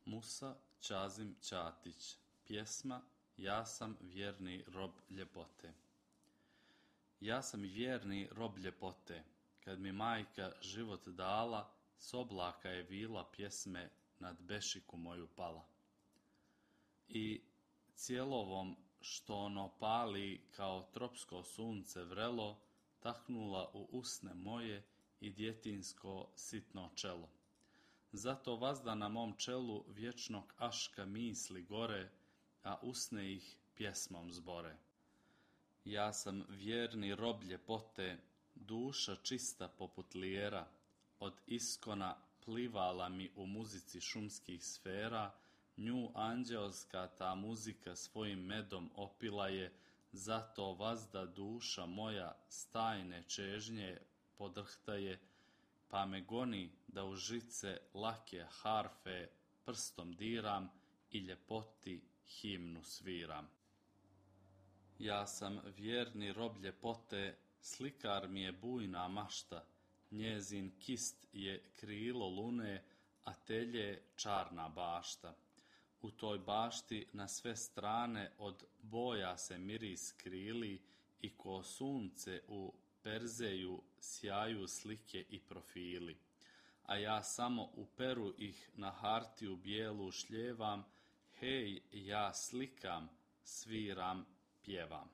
Musa Čazim Čatić. Pjesma Ja sam vjerni rob ljepote. Ja sam vjerni rob ljepote, kad mi majka život dala, s oblaka je vila pjesme nad bešiku moju pala. I cijelovom što ono pali kao tropsko sunce vrelo, taknula u usne moje i djetinsko sitno čelo. Zato vazda na mom čelu vječnog aška misli gore, a usne ih pjesmom zbore. Ja sam vjerni rob ljepote, duša čista poput lijera, od iskona plivala mi u muzici šumskih sfera, nju anđelska ta muzika svojim medom opila je, zato vazda duša moja stajne čežnje podrhtaje, pa me goni da u žice lake harfe prstom diram i ljepoti himnu sviram. Ja sam vjerni rob ljepote, slikar mi je bujna mašta, njezin kist je krilo lune, a telje čarna bašta. U toj bašti na sve strane od boja se miris krili i ko sunce u perzeju sjaju slike i profili. A ja samo u peru ih na hartiju bijelu šljevam, hej, ja slikam, sviram, pjevam.